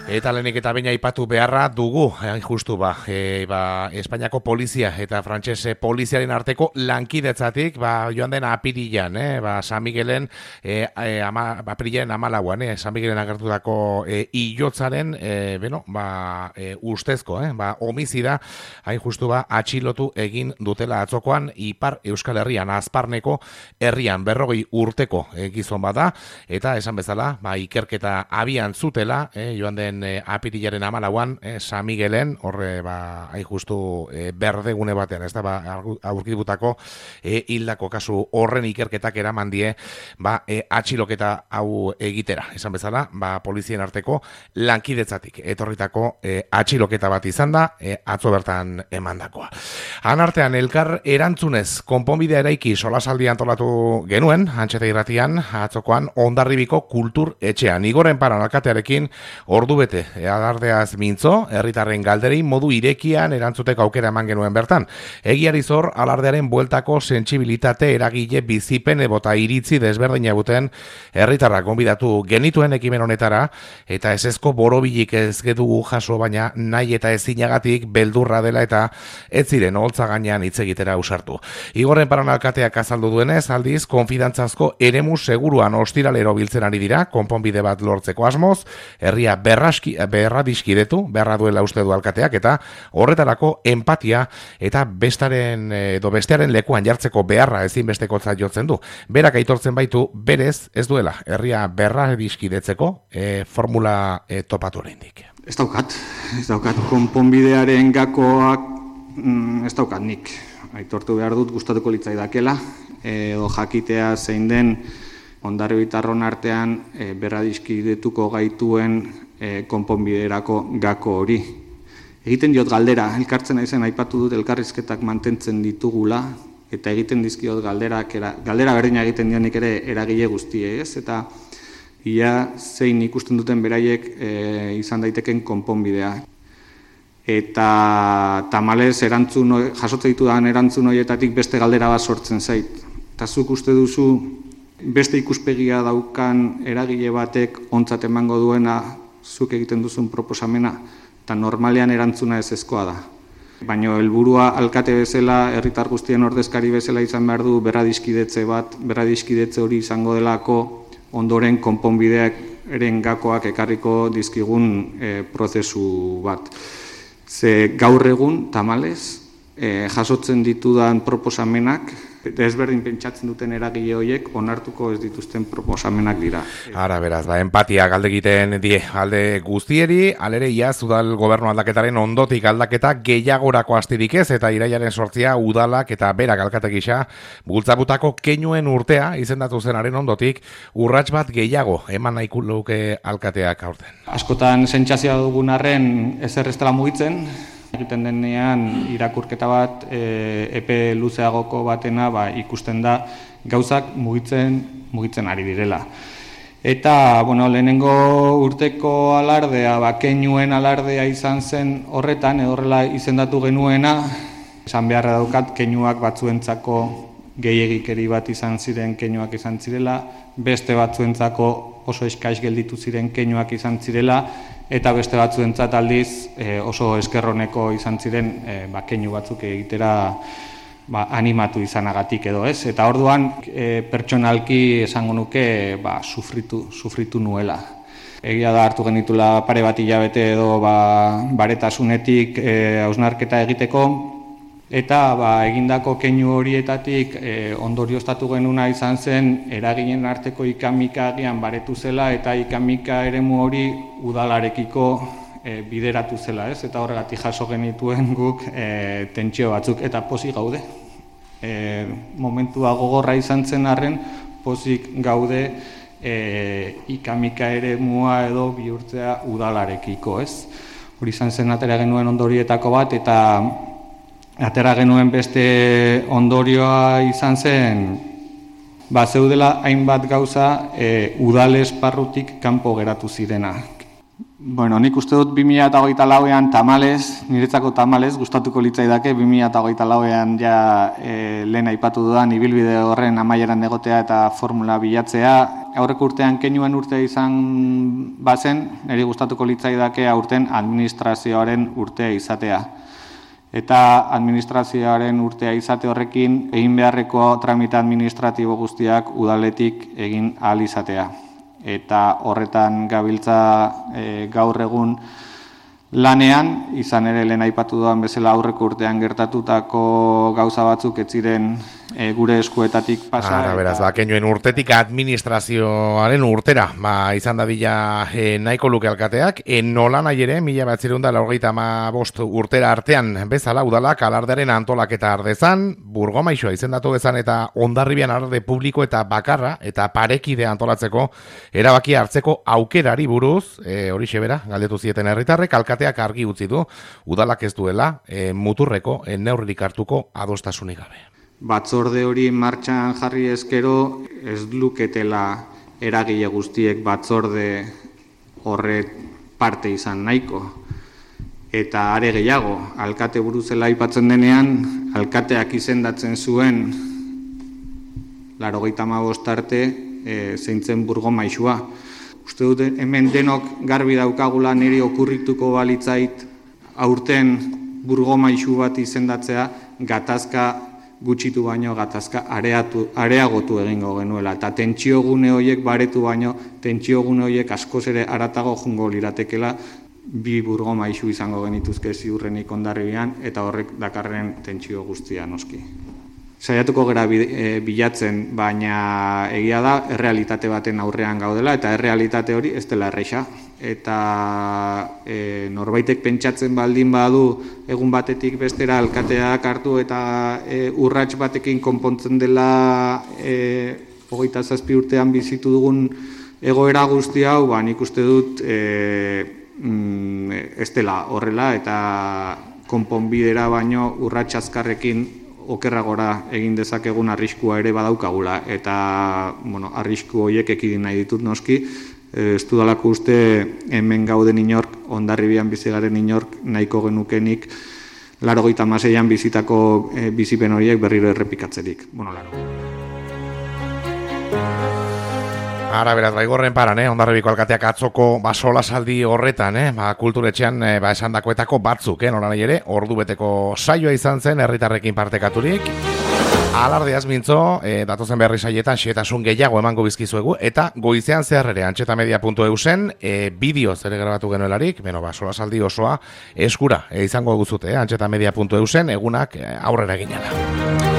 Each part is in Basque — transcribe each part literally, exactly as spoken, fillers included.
Eta lehenik eta baina aipatu beharra dugu, hain justu ba, e, ba, Espainiako polizia eta frantsese poliziaren arteko lankidetzatik, ba, joan den apirilan, eh, ba, San Miguelen, e, e, ama, apirilan amalauan, eh, San Miguelen agertutako e, iotzaren, e, beno, ba, e, ustezko, eh, ba, homizida, hain justu ba, atxilotu egin dutela atzokoan, Ipar Euskal Herrian, Azparneko herrian, berrogei urteko e, gizon bada, eta esan bezala, ba, ikerketa abian zutela, eh, joan den E, apirilaren amalauan, e, San Miguelen, horre, ba, hain justu e, berdegune batean, ez da, ba, aurkitutako e, hildako kasu horren ikerketak eraman die, ba, e, atxiloketa hau egitera. Esan bezala, ba, polizien arteko lankidetzatik etorritako e, atxiloketa bat izan da, e, atzo bertan emandakoa. Han artean, elkar erantzunez, konponbidea eraiki solasaldi antolatu genuen, antxeta irratian, atzokoan, Hondarribiko kultur etxean. Igoren Paran alkatearekin ordu bete alardeaz mintzo, herritarren galderei modu irekian erantzuteko aukera eman genuen bertan. Egiari zor, alardearen bueltako sentsibilitate eragile bizipen ebota iritzi desberdina buten herritarrak gonbidatu genituen ekimen honetara, eta ezezko borobilik ez gedugu jaso, baina nahi eta ezinagatik beldurra dela eta ez ziren holtza gainean hitz egitera ausartu. Igorren Paran alkateak azaldu duenez, aldiz, konfidantzazko eremu seguruan ostiralero biltzen ari dira, konponbide bat lortzeko asmoz, herria berraski, berra diskidetu, beharra duela uste du alkateak, eta horretarako empatia eta bestaren edo bestearen lekuan jartzeko beharra ezinbestekotzat jotzen du. Berak aitortzen baitu, berez ez duela herria berra diskidetzeko e, formula e, topatu oraindik. Ez daukat, ez daukat konponbidearen gakoak, mm, ez daukat nik. Aitortu behar dut, gustatuko litzaidakela, edo jakitea zein den Hondarribitarron artean e, berradizkidetuko gaituen e, konponbiderako gako hori. Egiten diot galdera, elkartzen naizen aipatu dut elkarrizketak mantentzen ditugula, eta egiten dizkiot galderak, era, galdera berdina egiten dionik ere eragile guztie, ez? Eta ia zein ikusten duten beraiek e, izan daiteken konponbidea. Eta tamalez erantzun, jasotze ditudan erantzun horietatik beste galdera bat sortzen zait. Eta zuk uste duzu beste ikuspegia daukan eragile batek ontzat emango duena zuk egiten duzun proposamena, eta normalean erantzuna ezezkoa da. Baina helburua alkate bezala, herritar guztien ordezkari bezala izan behar du berradizkidetze bat, berradizkidetze hori izango delako ondoren konponbideak eren gakoak ekarriko dizkigun e, prozesu bat. Ze gaur egun, tamalez, e, jasotzen ditudan proposamenak, desberdin pentsatzen duten eragile horiek onartuko ez dituzten proposamenak dira. Ara, beraz, ba, empatia galde egiten die alde guztieri, alere iaz udal gobernu aldaketaren ondotik aldaketa gehiagorako astirik ez, eta irailaren sortzia udalak eta berak alkate gisa bultzabutako keinuen urtea izendatu zenaren ondotik urrats bat gehiago eman nahiko luke alkateak aurten. Askotan sentsazioa dugun arren ezer ez dela mugitzen, egiten denean irakurketa bat e, epe luzeagoko batena ba, ikusten da gauzak mugitzen mugitzen ari direla. Eta bueno, lehenengo urteko alardea, ba, keinuen alardea izan zen horretan, edo horrela izendatu genuena, esan beharra daukat keinuak batzuentzako gehiegikeri bat izan ziren keinuak izan zirela, beste batzuentzako oso eskais gelditu ziren keinuak izan zirela, eta beste batzuentzat aldiz e, oso eskerroneko izan ziren e, ba, keinu batzuk egitera ba, animatu izanagatik edo ez. Eta orduan e, pertsonalki esango nuke ba, sufritu, sufritu nuela. Egia da hartu genitula pare bat hilabete edo ba, baretasunetik e, hausnarketa egiteko, eta ba, egindako keinu horietatik e, ondorioztatu genuna izan zen eraginen arteko ikamika agian baretu zela eta ikamika eremu hori udalarekiko e, bideratu zela, ez? Eta horregatik jaso genituen guk e, tentsio batzuk eta pozik gaude. E, momentua gogorra izan zen arren pozik gaude e, ikamika eremua edo bihurtzea udalarekiko, ez? Hori izan zen atera genuen ondorietako bat eta atera genuen beste ondorioa izan zen, ba, zeudela hainbat gauza e, udal esparrutik kanpo geratu zirena. Bueno, nik uste dut bi mila hogeita lauean tamalez, niretzako tamalez, gustatuko litzaidake bi mila hogeita lauean ja e, lehen aipatu dudan ibilbide horren amaieran egotea eta formula bilatzea. aurreko urtean keinuen urtea izan bazen, niri gustatuko litzaidake aurten administrazioaren urtea izatea. Eta administrazioaren urtea izate horrekin egin beharreko tramite administratibo guztiak udaletik egin ahal izatea. Eta horretan gabiltza e, gaur egun lanean, izan ere lehen aipatu duan bezala aurreko urtean gertatutako gauza batzuk ez ziren e, gure eskuetatik pasa. Ara, beraz, ba, keinuen urtetik administrazioaren urtera, ba, izan dadila e, nahiko luke alkateak, e, nola nahi ere, mila batzirun da laurogeita hamabost urtera artean bezala udalak alardearen antolaketa ardezan, Burgomaixoa izendatu dezan eta Hondarribian alarde publiko eta bakarra eta parekide antolatzeko erabaki hartzeko aukerari buruz, e, hori xebera, galdetu zieten herritarrek, alkateak argi utzi du, udalak ez duela e, muturreko e, neurririk hartuko adostasunik gabe. Batzorde hori martxan jarri ezkero ez luketela eragile guztiek batzorde horre parte izan nahiko. Eta are gehiago, alkate buruzela aipatzen denean, alkateak izendatzen zuen laurogeita hamabost arte e, zeintzen Burgomaixua. Uste dut hemen denok garbi daukagula niri okurrituko balitzait aurten Burgomaixu bat izendatzea gatazka gutxitu baino gatazka areatu, areagotu egingo genuela. Eta tentsio gune horiek baretu baino, tentsio gune horiek askoz ere aratago jungo liratekela bi Burgomaixu izango genituzke ziurrenik Hondarribian eta horrek dakarren tentsio guztia noski. Saiatuko gara bilatzen, baina egia da errealitate baten aurrean gaudela eta errealitate hori ez dela erresa. Eta e, norbaitek pentsatzen baldin badu egun batetik bestera alkateak hartu eta e, urrats batekin konpontzen dela e, hogeita zazpi urtean bizitu dugun egoera guzti hau, ba, nik uste dut e, mm, ez dela horrela eta konponbidera baino urrats azkarrekin okerragora egin dezakegun arriskua ere badaukagula eta bueno, arrisku horiek ekidin nahi ditut noski. Ez dudalako uste hemen gauden inork, Hondarribian bizi garen inork nahiko genukenik laurogeita hamaseian bizitako e, bizipen horiek berriro errepikatzerik. Bueno, laro. Ara, beraz, baigorren paran, eh? Hondarribiko alkateak atzoko ba, solasaldi horretan, eh? Ba, kulturetxean eh, ba, esandakoetako batzuk, eh? Nola nahi ere, ordu beteko saioa izan zen, herritarrekin partekaturik. Alardeaz mintzo, e, datozen berri saietan xetasun gehiago emango bizkizuegu, eta goizean zehar ere antxetamedia puntu e u zen, e, bideoz ere grabatu genuelarik, beno, ba, solasaldi osoa eskura e, izango guzute, eh? antxetamedia puntu e u zen, egunak e, aurrera ginela.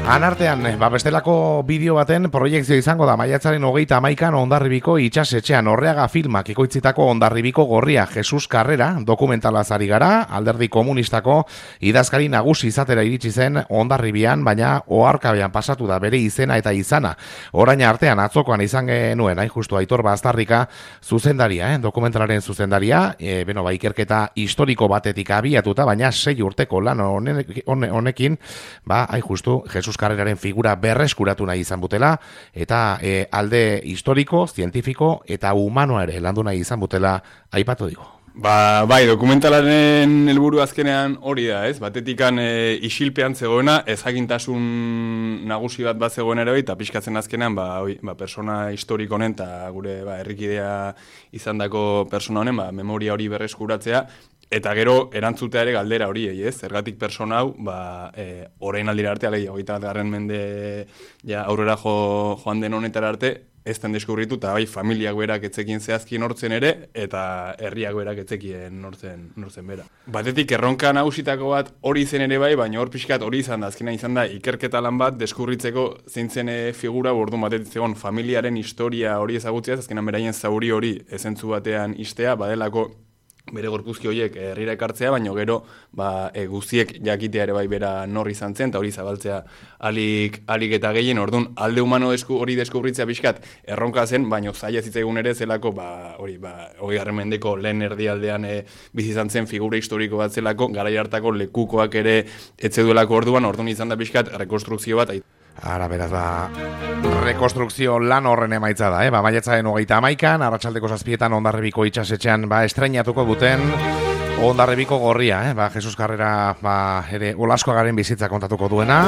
Anartean, ba, bestelako bideo baten proiektzio izango da maiatzaren hogeita hamaikan Hondarribiko itxasetxean Orreaga filmak ikoitzitako Hondarribiko gorria Jesus Karrera dokumentalaz ari gara, alderdi komunistako idazkari nagusi izatera iritsi zen Hondarribian, baina oharkabean pasatu da bere izena eta izana. Orain artean atzokoan izan genuen, hain justu Aitor Baztarrika zuzendaria, eh? dokumentalaren zuzendaria, e, beno, ba, ikerketa historiko batetik abiatuta, baina sei urteko lan honekin, ba, hain justu Jesus Karreraren figura berreskuratu nahi izan butela, eta e, alde historiko, zientifiko eta humanoa ere landu nahi izan butela aipatu digo. Ba, bai, dokumentalaren helburu azkenean hori da, ez? Batetikan e, isilpean zegoena, ezagintasun nagusi bat bat zegoen ere, eta pixkatzen azkenean, ba, oi, ba, persona historiko honen, eta gure ba, herrikidea izandako persona honen, ba, memoria hori berreskuratzea, eta gero erantzutea ere galdera hori, ez? Zergatik persona hau, ba, e, orain aldira arte, alei, hogeita bat garren mende ja, aurrera jo, joan den honetara arte, ez den deskubritu, eta bai, familiak berak etzekien zehazki nortzen ere, eta herriak berak etzekien nortzen, nortzen bera. Batetik erronka nagusitako bat hori zen ere bai, baina hor pixkat hori izan da, azkena izan da, ikerketa lan bat deskubritzeko zeintzen figura, orduan batetik zegoen familiaren historia hori ezagutziaz, azkenan beraien zauri hori ezentzu batean istea, badelako bere gorpuzki horiek herrira ekartzea, baina gero ba, e, guztiek jakitea ere bai bera nor izan zen, eta hori zabaltzea alik, alik eta gehien, orduan alde humano desku, hori deskubritzea pixkat erronka zen, baina zaila zitzaigun ere zelako, ba, hori, ba, hori garren mendeko lehen erdialdean e, bizi izan zen figura historiko bat zelako, garai hartako lekukoak ere etzeduelako orduan, orduan izan da pixkat rekonstrukzio bat. Ara, beraz, ba, rekonstrukzio lan horren emaitza da, eh? Ba, maiatzaren hogeita hamaikan, arratsaldeko zazpietan Hondarribiko itxasetxean, ba, estreinatuko duten Hondarribiko gorria, eh? Ba, Jesus Karrera, ba, ere, Olaskoagaren bizitza kontatuko duena.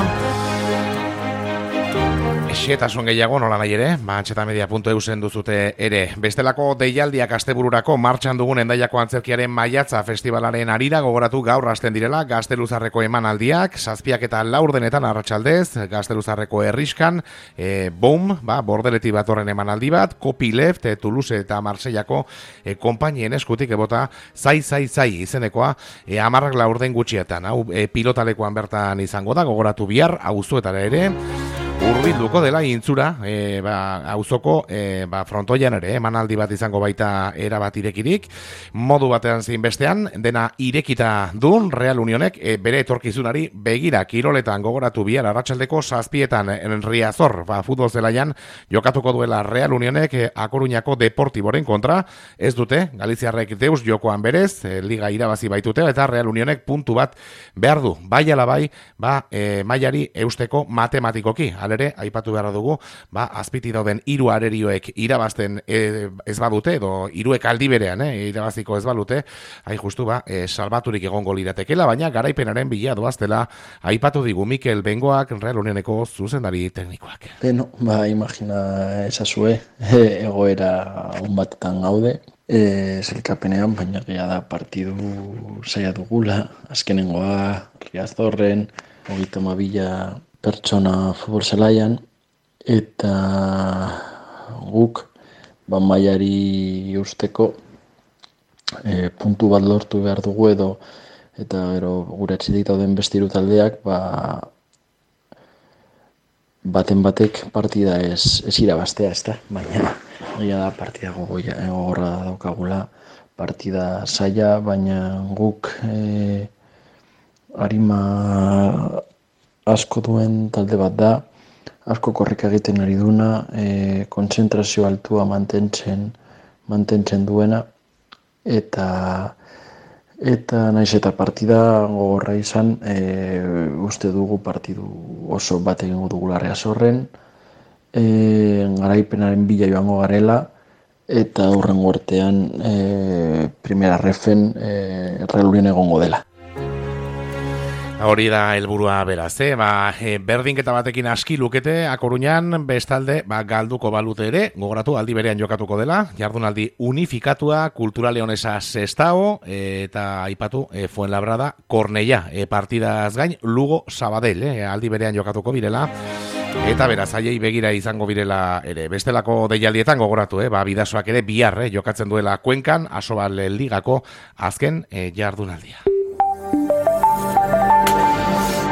Xetasun gehiago nola nahi ere, ba, antxetamedia puntu e u zen duzute ere. Bestelako deialdiak astebururako martxan dugun Hendaiako Antzerkiaren Maiatza festivalaren arira gogoratu gaur hasten direla Gazteluzarreko emanaldiak, zazpiak eta laurdenetan arratsaldez, Gazteluzarreko herriskan, e, boom, ba, bordeleti bat horren emanaldi bat, Copyleft, e, Toulouse eta Marseillako e, konpainien eskutik ebota zai, zai, zai izenekoa, e, amarrak laurden gutxietan, hau e, pilotalekoan bertan izango da, gogoratu bihar, auzuetara ere, urbilduko dela intzura, e, ba, auzoko e, ba, frontoian ere, emanaldi bat izango baita erabat irekirik, modu batean zein bestean, dena irekita duen Real Unionek e, bere etorkizunari begira kiroletan gogoratu bihar arratsaldeko zazpietan en Riazor, ba, futbol zelaian jokatuko duela Real Unionek e, A Coruñako Deportiboren kontra, ez dute, Galiziarrek deus jokoan berez, e, liga irabazi baitute, eta Real Unionek puntu bat behar du, bai ala bai, ba, e, mailari eusteko matematikoki, alere, aipatu behar dugu, ba, azpiti dauden hiru arerioek irabazten e, ez badute, edo hiruek aldi berean, e, irabaziko ez balute, hain justu, ba, e, salbaturik egongo liratekela, baina garaipenaren bila doaztela, aipatu digu Mikel Bengoak, Real Unioneko zuzendari teknikoak. Beno, ba, imagina esazue, egoera on batetan gaude, e, zelkapenean, baina gea da partidu zaila dugula, azkenengoa, Riazorren, hogeita mabila pertsona futbol zelaian, eta guk ba, mailari eusteko e, puntu bat lortu behar dugu edo, eta gero gure atzitik dauden beste hiru taldeak ba, baten batek partida ez, ez irabaztea, ezta? Baina egia da partida gogorra daukagula, partida zaila, baina guk e, arima asko duen talde bat da, asko korrika egiten ari duna, e, kontzentrazio altua mantentzen, mantentzen duena, eta eta naiz eta partida gogorra izan, e, uste dugu partidu oso bat egingo dugula Riazorren, e, garaipenaren bila joango garela, eta hurrengo artean e, primera refen e, Real Union egongo dela. Hori da helburua beraz, eh? Ba, e, berdinketa batekin aski lukete A Coruñan, bestalde ba, galduko balute ere, gogoratu aldi berean jokatuko dela, jardunaldi unifikatua, Kultura Leonesa Sestao, e, eta aipatu e, Fuenlabrada Cornellá, e, partidaz gain Lugo Sabadell, eh? Aldi berean jokatuko birela. Eta beraz, haiei begira izango birela ere. Bestelako deialdietan gogoratu, eh? Ba, Bidasoak ere bihar eh? jokatzen duela Kuenkan, Asobal Ligako azken eh, jardunaldia.